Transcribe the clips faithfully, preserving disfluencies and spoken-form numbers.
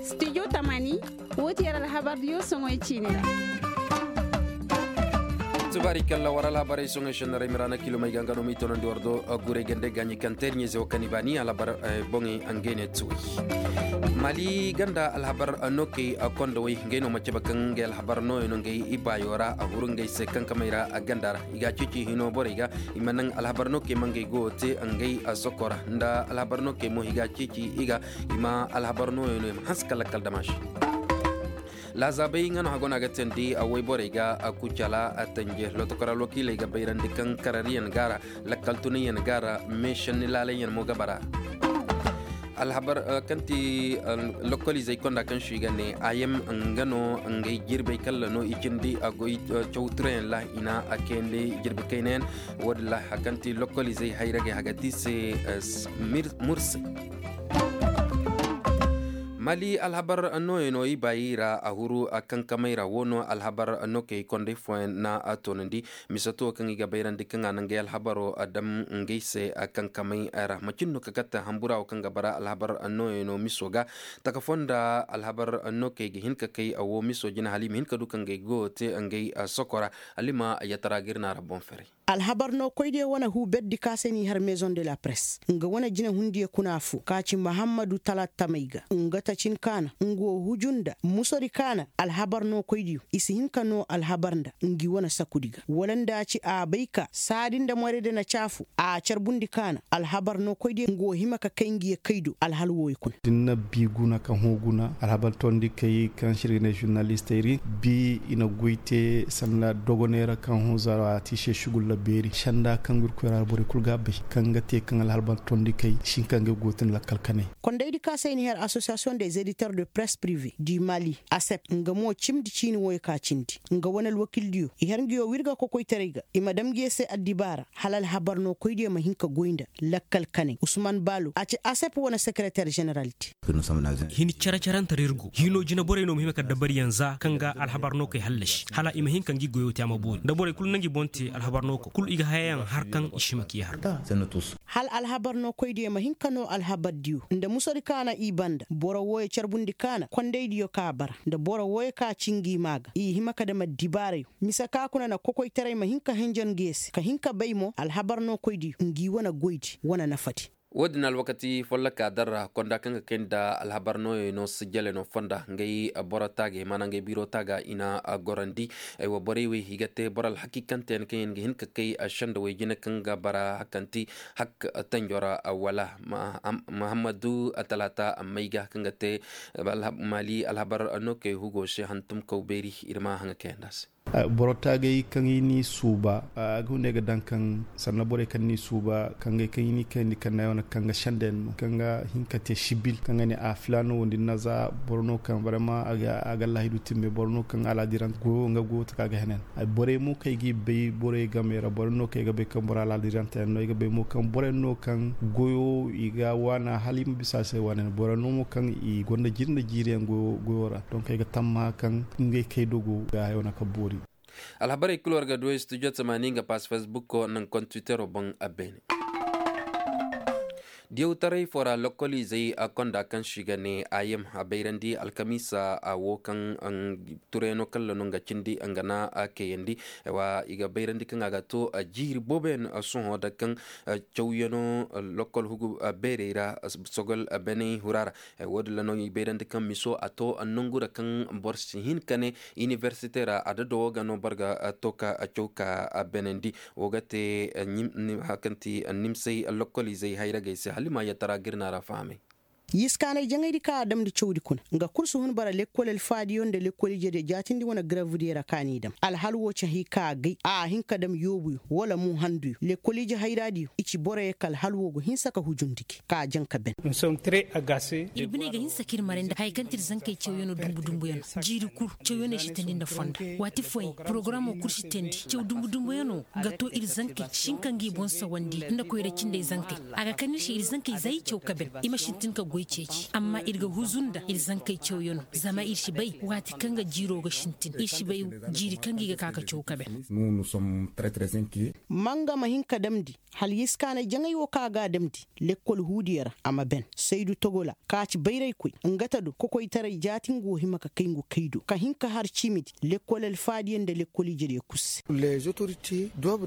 Studio tamani, wo ti yer alhabar diyo soŋoy ciini ra. Tubaari kalla war alhabarey soŋoy sennarey miraana kilomey ga nga no m'i tonandi war do. Guray gande gaaɲi kaŋ teeri ɲayze wo kaŋ i baani alhabar boŋey, ngey ne tuwey. Mali ganda alhabar nokey kondowey ngey no ma cabe kaŋ ngey alhabar nooyo no ngey ibaayo ra a huru ngey se kankamey ra ganda ra i ga a ceeci hino borey ga. I ma naŋ alhabar nokey ma ngey goyo te ngey sokora nda alhabar nokey mo i ga a ceeci i ga i ma alhabar nooyo no i ma hanse ka lakkal damaasi. Laazaabey nga no hago no a ga teendi a woyborey ga a kucala a tanje lotokor alwakiiley ga bayrandi kaŋ karariyaŋ ga a ra. Lakkal tunayyaŋ ga a ra meesanni laalayyaŋ mo ga bara. Alhabar kaŋ ti lokoliizey konda kaŋ si ga ne a yam nga no ngey jirbey kalla no i cindi a goy cawturayaŋ ra i na a kayandi jirbi kaynayaŋ. Wo- din ra hari kaŋ ti lokoliizey hayragey haga ti se. Mursey mali alhabar nooyey no i baayi ra a huru a kankamey ra wo no alhabar nokey kondey fooyaŋ na a toonandi. Misato kaŋ i ga bayrandi kaŋ a na ngey alhabaro dam ngey se kankamey ra macin no ka katte hambura wo kaŋ ga bara alhabar nooyey no miso ga. Taka fonda alhabar nokey ga hin ka kay a wo miso jina hala i ma hin ka du ka ngey goyo te ngey sokora. Hala i ma yatara ga ir na ra boŋ ferey. Alhabar no koydiyo wane huu berdi ka se n'i har maison de la presse nga wane jinehundiyo kuna foo ka ci mahammadu talatamey ga nga tacin kaana nga wo huju nda musodi kaana alhabar no koydiyo i si hin ka noo alhabar nda ngi wane sakudi ga wala nda a ci a bay ka saadi nda morayda na caafu a carbundi kaana alhabar no koydiyo nga wo hima ka kay ngi ye kay do alhal wooyo kuna. Da ni na bii guna ka hõ guna alhabar tondikey kaŋ se ir ga ne žurnalistey ra bii i na goy te sanda dogoney ra kaŋ hõ zara a ti i se sugulla beeri sanda kaŋ ga ir koy ra borey kul ga a bay kaŋ ga te kaŋ alhabar tondikey si hin ka ngey go ga tun lakkal kanay. Kondaydi ka se i na her association des éditeurs de presse privée du mali asep nga mo cimndi ciini wooyo ka cindi nga wane alwakildiyo i har nguyo wirga kokoytaray ga i ma dam nguyo se addibaara hala alhabar no koydiyo ma hin ka goy nda lakkal kanay usman baalo a ci asep wane sekereter ženeral te. Hin care-carante ra ir go hino jinaborey no ma hima ka dabariyaŋ za kaŋ ga alhabar no kay hallasi hala i ma hin ka ngi goyo te a ma boori nda borey kulu na ngi boŋ te alhabar no ko kulu i ga hayayaŋ har kaŋ i si hima k'i har. Hal alhabar no koydiyo ma hin ka no alhabar diyo nda musadi kaana i banda boro wooyo carbundi kaana kondaydiyo ka bara nda boro wooyo ka ci ngi maa ga i hima ka dam addibaarayo mise ka kuna na kokoytaray ma hin ka henjen ngi ye se ka hin ka bay mo alhabar no koydiyo ngi wane goydi wane nafadi. Wo- din alwakati folloka darra konda kaŋ ga kay nda alhabar nooyey no sijjale no fonda ngey boro taagey maana ngey biiro taaga i na gorandi. Aywa borey wey i ga te boro alhakiikanteyaŋ kaŋ yaŋ ga hin ka kay sendawey jine kaŋ ga bara hakanti hak tanjo ra wala mahammadu talaata amma i ga kaŋ ga te mali alhabar no kay hugo se hantumkaw beeri ir ma haŋa kayanda se. Boro taagay kaŋ i n'i suuba a ga hunday ga daŋ kaŋ sanna borey kaŋ n'i suuba kaŋ gay kaŋ i n'i kayandi kaŋ na yaŋ wane kaŋ ga senda yaŋ no kaŋ ga hin ka te sibil kaŋ ga ne a filaano wo nda ni na za boro no kaŋ barama a ga laahidu timme boro no kaŋ alaadirante goyo nga goyo taka ga henen. Borey mo kaŋ ay g'i bay borey game ra boro no kaŋ ay ga bay kaŋ boro alaadirante yaŋ no ay ga bay mo kaŋ borey no kaŋ goyo i ga waana hala i ma bisa a se waana yaŋ boro no mo kaŋ i gonda jiiri nda jiiri yaŋ goyo ra donk ay ga tammaha kaŋ ngey kay dogo ga hayo na ka boori. Alhabarey kulu war ga duwey studio tamaani nga pass facebook ko naŋ kontwitero boŋ a beene. Diyawtaray foo ra lokkoliizey a konda kaŋ se i ga ne a yem a bayrandi alkamiisa a wo kaŋ turayano kalla no nga cindi nga na a kayandi. Wa i ga bayrandi kaŋ a ga to jiiri booboyaŋ sohõ da kaŋ cawyano lokkol hugu beerey ra sogol beney hura ra. Wo- din ra no i bayrandi kaŋ miso a to nongu ra kaŋ boro si hin ka ne inibersite ra a dado wo ga no boro ga to ka caw ka benandi. Wo ga te hari kaŋ ti nimsay lokkoliizey hayragey se hala i ma yattara ga ir na ra fahamay. Yiskaanay jaŋaydi kaŋ a damndi cawdi kuna nga kul si hun bara lekkol alfaadiyo nda lekkol ijediyo jaatindi wane garabdiyo ra kaŋ a n'i dam alhal wo cahi ka a gay a hin ka dam yoobuyo wala mo handuyo lekkol ije hayraadiyo i ci boroyo ka alhal wo go hinsa ka hujundi gi ka a jaŋ ka ben. Ir biney ga hinsa k'ir maray nda haya kaŋ ti ir zankey cawyanoo dumbu dumbuyanoo jiiri kul cawyaney si teendi nda fonda. Waati fooyaŋ porogaramo kul si teendi caw dumbu dumbuyanoo ga to ir zankey si hin ka ngi boŋ sawandi nda koyra cindey zankey. A ga kande ir se ir zankey za i caw ka ben i ma sintin ka goy. Ceeci amma ir ga huzu nda ir zankey cawyanoo zama ir si bay waati kaŋ ga jiiroo ga sintin ir si bay jiiri kaŋ ga i ga ka ka caw kabe. Manga ma hin ka damndi hala yeskaanay jaŋay woo kaŋ a ga a damndi lekkol huudiyo ra a ma ben saydu togola ka ci bayraykoy nga ta do kokoytaray jaati nga woo hima ka kay ngu kay do ka hin ka har ciimidi lekkol alfaadiyo nda lekkol ijediyo kul se.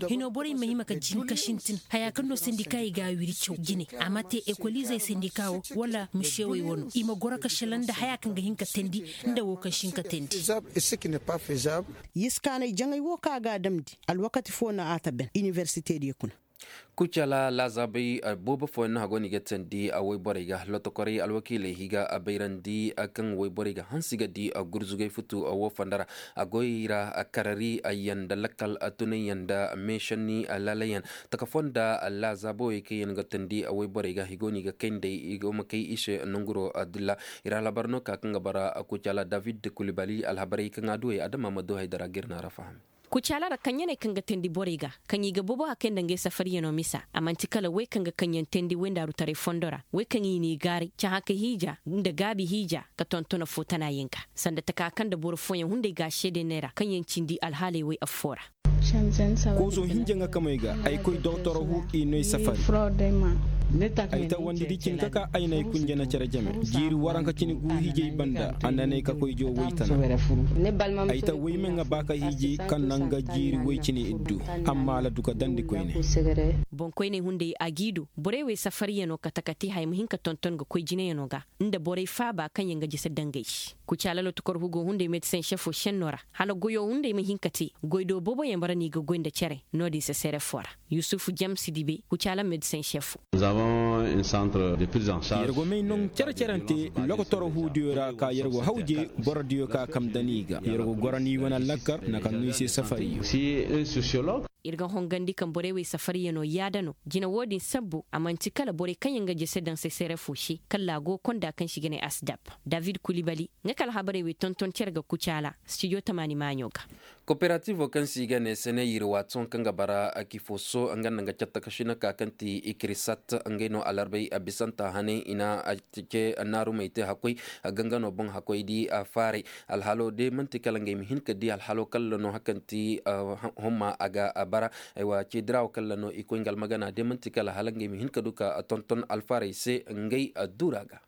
Hinoo borey ma hima ka jin ka sintin hayaa kaŋ no sendika i ga a wiri caw jine a ma te ekoliizey sendika woo wala miseewey wanoo i ma goro ka selaŋ nda hayaa kaŋ ga hin ka teendi nda woo kaŋ si hin ka teendi. Yeskaanay jaŋay woo kaŋ a ga a damndi alwakati foo no a ta ben iniversitediyo kuna. Kucala laazaabay boobo fooyaŋ no hagoo no i ga teendi wayborey ga lotokorey alwakiiley i ga bayrandi kaŋ wayborey ga hanse ga di gurzugay futu woo fonda ra. A goy ra karari yaŋ nda lakkal tunayyaŋ nda meešanni laalayaŋ taka fonda laazaabawey kaŋ yaŋ ga teendi wayborey ga i go no i ga kay nd'ey i go ma kay i se nonguroo. Dilla ir alhabar no ka kaŋ ga bara kucala david kulibali alhabarey kaŋ a duwey adama ma du haydara ga ir na ra faham. Kucaala ra kaŋ ɲaney kaŋ ga teendi borey ga kaŋ i ga boobo hakay nda ngey safariyanoo misa a man'ti kala wey kaŋ ga kaŋ yaŋ teendi wayndaaru taray fondo ra wey kaŋ i n'i gaaray cahãka hiija nda gaabi hiija ka tonton foo tana yaŋ ga sanda taka kaŋ nda boro fooyaŋ hunday ga a seede neera kaŋ yaŋ cindi alhaaley wey affoo ra. Kooso hinja nga kamey ga ay koy doktor hu i no ay safari. Ay ta wandi di cinka ka ay na ay kunjana cere jame jiiri waranka cine gu hiijay banda a na ne ay ka koy joo woy tana. Ay ta woy me nga ba ka hiiji kaŋ na nga jiiri woy cine iddu amma a la du ka dandi koyne. Boŋkoyney hunday a g'i du borey wey safariyanoo kate kate haya ma hin ka tonton ga koy jinayano ga nda borey faaba kaŋ yaŋ ga jese dangay. Kucaala lotokor hugo hunday medsen sefo senno ra hala goyo hunday ma hin ka te goy do booboyaŋ bara no i ga goy nda cere no-din se serefo ra. Yusufu jamsi dibe kucaala medsen sefo. Yer go may noŋ cere cerante lokotoro huudiyo ra ka yer go hawje borodiyo ka kam dani ga yer go goro ni wane lakkar na ka no i se safariyo. Ir ga hongandi kaŋ borey wey safariyanoo yaada no jina wo-din sabbu a man'ti kala borey kaŋ yaŋ ga jese daŋ seserefo se kala a go konda kaŋ se i ga ne asdap. David kulibali nga ka alhabarey wey tonton cere ga kucaala stijo tamaani maaɲo ga. Koperativo kaŋ se i ga ne seneyir waati sohõ kaŋ ga bara akifoso nga nda nga catta ka sina ka kaŋ ti ikirisat ngey no alarbay a bisanta haney i na ce naarumey te hakkoy. Gangano boŋ hakkoy di faaray alhalo de man'ti kala ngey ma hin ka di alhalo kalla no hakanti homma a ga bara. Aywa ce dirawo kalla no i koy nga almagana de man'ti kala hala ngey ma hin ka du ka tonton alfaaray se ngey dura ga.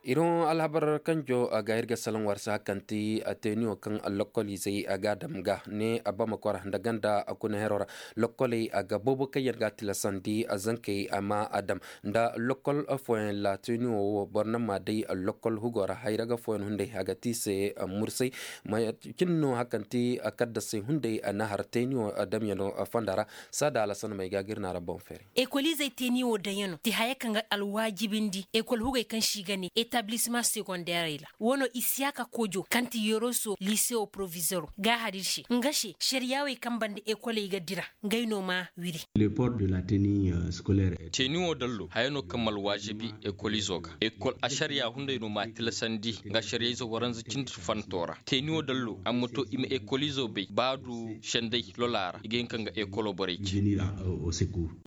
Iri hõ alhabar kanjo ga ir ga salaŋ war se hakanti teniyo kaŋ lokoliizey ga a dam ga ne a bama kwara nda ganda kuna hero ra. Lokoley a ga boobo kaŋ yaŋ ga a tilasandi zankey a ma a dam nda lokol fooyaŋ laatiniyo wo boro na ma day lokol hugo ra hayra ga fooyaŋ hunday a ga ti i se. Mursay ma cin no hakanti kaddasey hunday na har teniyo damyano fonda ra. Saada alasan may ga gir na ra boŋ fere. Ekoliizey teniyo damyano ti haya kaŋ ga alwaajibindi ekol hugey kaŋ se i ga ne etablisma segonderey ra. Wo no isiyaka kojo kaŋ ti yoroso lisewo provizoro ga a har ir se nga se šariyaawey kaŋ banda ekoley ga dira. Ngey no ma wiri. Teniwo dallo haya no kaŋ ma alwaajibi ekolizo ga ekol ašariya hunday no ma a tilasandi nga ašariyayzo waranza cindi fanto ra teniwo dallo a ma to i ma ekolizo bay ba du senday lola ra i ga hin kaŋ ga ekolo borey ci.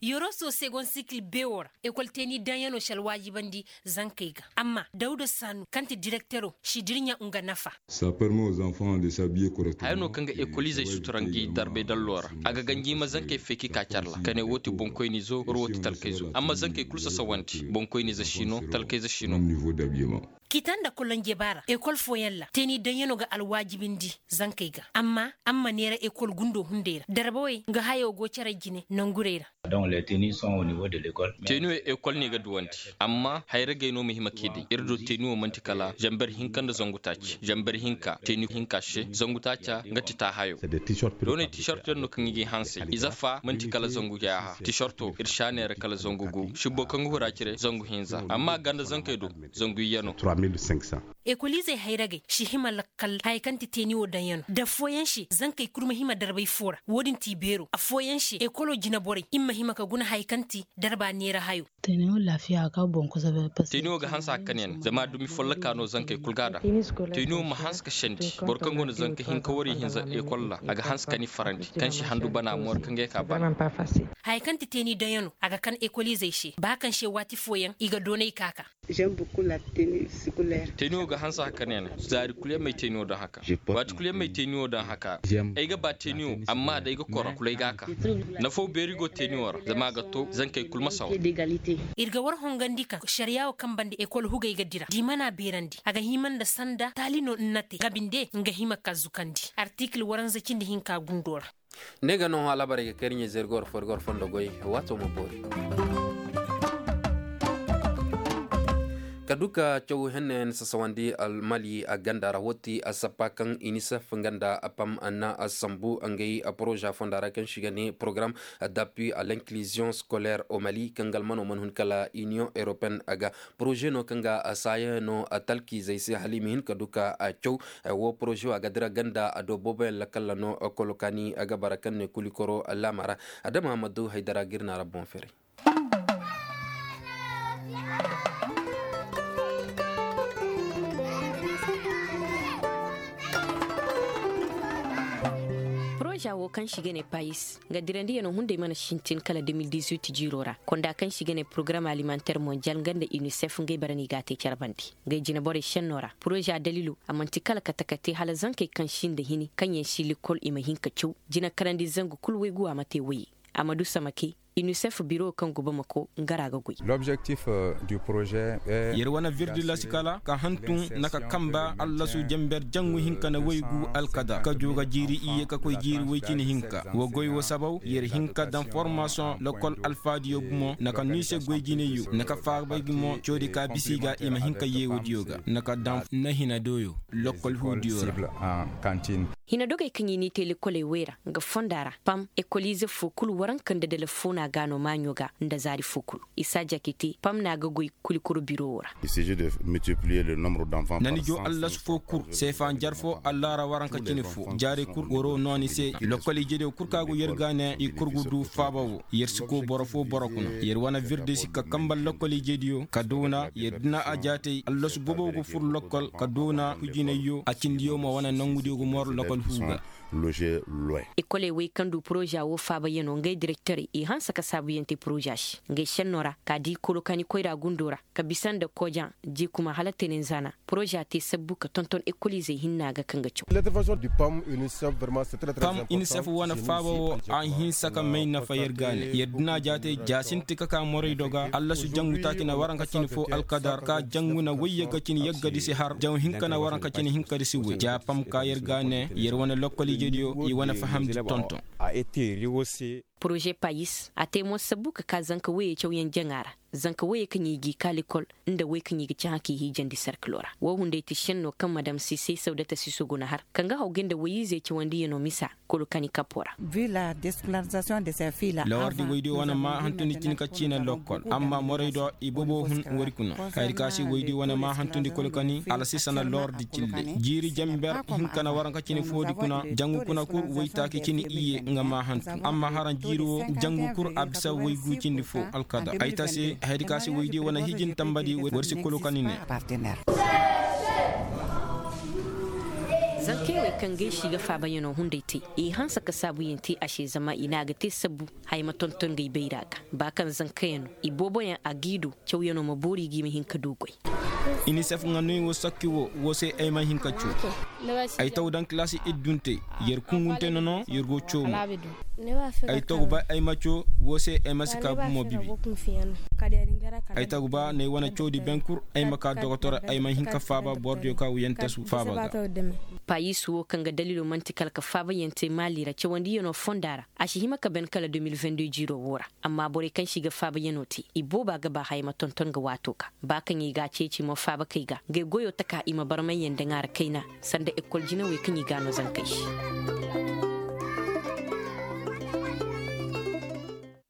Yoroso segon sikil bewo ra ekol teni daŋyano si alwaajibandi zankey ga amma dawda saanu kaŋ ti direktero si dirɲa nga nafa. Haya no kaŋ ga ekoliizey sutura ngi darbay dallo ra a ga ganji i ma zankey feeki ka care ra ka ne wo ti boŋkoynizo war wo ti talkayzo amma zankey kulu sasawandi boŋkoynizo si no talkayzo si no. Kita nda kolonjeba ra ekol fooyaŋ ra teeni daŋyano ga alwaajibindi zankey ga amma a ma neera ekol gundo hunday ra darbawey nga hayo go care jine nangurey ra. Teeniwey ekol no i ga duwandi amma hayragey no ma hima k'i day ir do teeniwo man'ti kala zamber hinka nda zangu taaci zamber hinka teeni hinka se zangu taaca nga ti taahayo. Dooney tiisarto yaŋ no kaŋ i g'i hansay ize fa man'ti kala zangu yaaha tiisarto ir si a neera kala zangu gu sibbo kaŋ ga hura cire zangu hinza amma a ganda zankey do zangu iyye no. Ekoliizey hayragey si hima lakkal haya kaŋ ti teeni wo daŋyanoo nda affooyaŋ se zankey kul ma hima darbay foo ra. Wo-din ti i beeroo affooyaŋ se ekolo jineborey i ma hima ka guna haya kaŋ ti darba neera hayoo. Teeni wo ga hanse hakka ne yaŋ zama dumi follokaa no zankey kul ga a daŋ. Teeni wo ma hanse ka sendi boro kaŋ go nda zanka hinka wariyye hinza ekol ra a ga hanse ka ni farandi kaŋ si handu bana moori kaŋ ga ay ka bana. Haya kaŋ ti teeni daŋyanoo a ga kan ekoliizey se ba kaŋ se waati fooyaŋ i ga doonay ka ka. Teeni wo ga hanse haka ne yaŋ zaari kul yaŋ ma ay teeni wo daŋ haka. Waati kul yaŋ ma ay teeni wo daŋ haka. Ay ga ba teeni wo amma da ay ga koro kul ay ga a ka. Nafoo beeri go teeni wo ra zama a ga to zankey kul ma sawa. Ir ga war hongandi kaŋ sariya wo kaŋ banda ekol hugey ga dira da i mana beerandi a ga hima nda sanda taali no nna te nga binde nga hima ka zukandi artikil waranza cindi hinka gundo ra. Ne ga no hã alaabarey ga kay ir ɲa-ize ir ga war fo ir ga war fondo goy. Waato ma boori. Ka du ka caw henna yaŋ sasawandi almali a ganda ra wo ti a sappa kaŋ inisef nga nda a pam na a sambu ngey poroza fonda ra kaŋ se i ga ne porogaram d'appui à l'inclusion scolaire au mali kaŋ ga almano mana hun kala union européenne ga. Poroze no kaŋ ga a saaya no a talkiizey se hala i ma hin ka du ka a caw. Wo poroze wo a ga dira ganda a do booboyaŋ lakalla no kolo kaani a ga bara kaŋ ne kulikoro laama ra. Adama ma du haydara ga ir na ra boŋ feeray. Poroza wo kaŋ se i ga ne payis nga dirandiyanoo hunday mana sintin kala de mil dizuit jiiroo ra konda kaŋ se i ga ne porogaram alimanteer monjal nga nda inisef ngey bara no i g'a te care bande. Ngey jineborey šennoo ra poroza daliiloo a man'ti kala kate-kate hala zankey kaŋ sinda hini kaŋyaŋ si likol i ma hin ka caw. Jinakarandi zangu kul waygu a ma te woyey. A ma du samake inisef biro kaŋ go bamako nga ra ga goy. Yer wane virdi lasi kala ka hantum na ka kamba allasu jenber jangu hinka nda waygu alkadar ka du ga jiiri iyye ka koy jiiri woy cine hinka. Wa goy wa sabaw yer hin ka daŋ formasoŋ lokol alfaadiyo gumo na ka no i se goy jinayyo na ka faabay gumo coodi ka bisa i ga i ma hin ka yeewodiyo ga na ka daŋ na hina doyo lokol huudiyo ra. Hina dogey kaŋ i n'i te lekoley wey ra nga fonda ra pam ekoliize foo kul waranka nda dala foo no a ga no maaɲo ga nda zaari foo kul. Isa jakite pam no a ga goy kulikoro biro wo ra. Na ni joo allasu foo kul seefa njar foo allaara waranka cine foo jaarey kul waroo no ni se. Lokol ijediyo kul kaŋ a go yer ga ne i kul ga du faaba woo yer si koo boro foo boro kuna yer wane virdi si ka kamba lokol ijediyo ka doona yer dina a jaatey allasu bobo ga fur lokol ka doona hujinayyo a cindiyo ma wane nongudiyo ga mor lokol huu ga. Ekoley wey kaŋ du poroza woo faabayanoo ngey direkterey i hanse ka saabuyaŋ te poroza se ngey šennoo ra ka dii kolokaani koyra gundoo ra ka bisa nda kojaŋ jee kuma hala tenenzaana. Poroza te sabbu ka tonton ekoliizey hinna ga kaŋ ga caw. Pam inisef wane faaba woo a hinsa ka may nafa yer ga ne yer dina jaatey ja sinti ka ka moraydo ga allasu jangu taaci na waranka cine foo alkadar ka jangu na woy yagga cine yaggadi si har jaŋ hinka na waranka cine hinkadi si woy ja pam ka yer ga ne yer wane lokkol ijediyo i wane fahamndi tonton. Poroze payis a te mo sabbu ka ka zanka woyey cawyaŋ jaŋa ra. Zanka woyey kaŋ i g'i ka likol nda woy kaŋ i ga cahã k'i hiijandi serkiloo ra woo hunday ti šennoo kaŋ madam sisey sawdata siso go na har kaŋ ga haw ga nda woy-izey cawandiyanoo misa. Kulu kaŋ i kapoo ra. Lawardi woydiyo wane ma hantundi cin ka ciina lokkol amma moraydo i bobo hun wari kuna. Hayadi ka se woydiyo wane ma hantundi kulu kaŋ i alasisa na lawardi cilley jiiri jenber hinka na waranka cine foodi kuna jangu kuna kul woytaaki cine iyye nga ma hantu. Amma haraŋ jiiri woo jangu kul a bisa woy guu cindi foo alkadar ay ta se hayadi ka se woydiyo wane hiijin tambadi war si kulu kaŋ i ne. Zankey wey kaŋ gay se i ga faabayanoo hunday te i hanse ka saabuyaŋ te a se zama i ne a ga te sabbu. Haya ma tonton ngey bayra ga ba kaŋ zankayaŋ no i booboyaŋ a g'i du cawyaŋo ma boori ga i ma hin ka du goy. Inisef nga noy wo sakki wo wo se ay ma hin ka caw. Ay taw daŋ kilaasi idduntey yer kunguntey no no yer go caw mo. Ay taw ba ay ma caw wo se ay ma si ka gumo bibi. Ay taw ba no ay wane cawdi beŋ kul ay ma ka dokotoro ay ma hin ka faaba borodiyo ka wuyantasu faaba ga. Payis wo kaŋ ga daliilo man'ti kala ka faabayaŋ te maali ra cawandiyanoo fonda ra. A si hima ka ben kala deux mille vingt-deux jiiroo woo ra. Amma borey kaŋ se i ga faabayanoo te i booba ga ba haya ma tonton ga waatoo ga. Ba kaŋ i g'a ceeci mo faabakey ga ngey goyoo taka i ma barmayyaŋ daŋ a ra kayna. Sanda ekol jinawey kaŋ i g'a noo zankey se.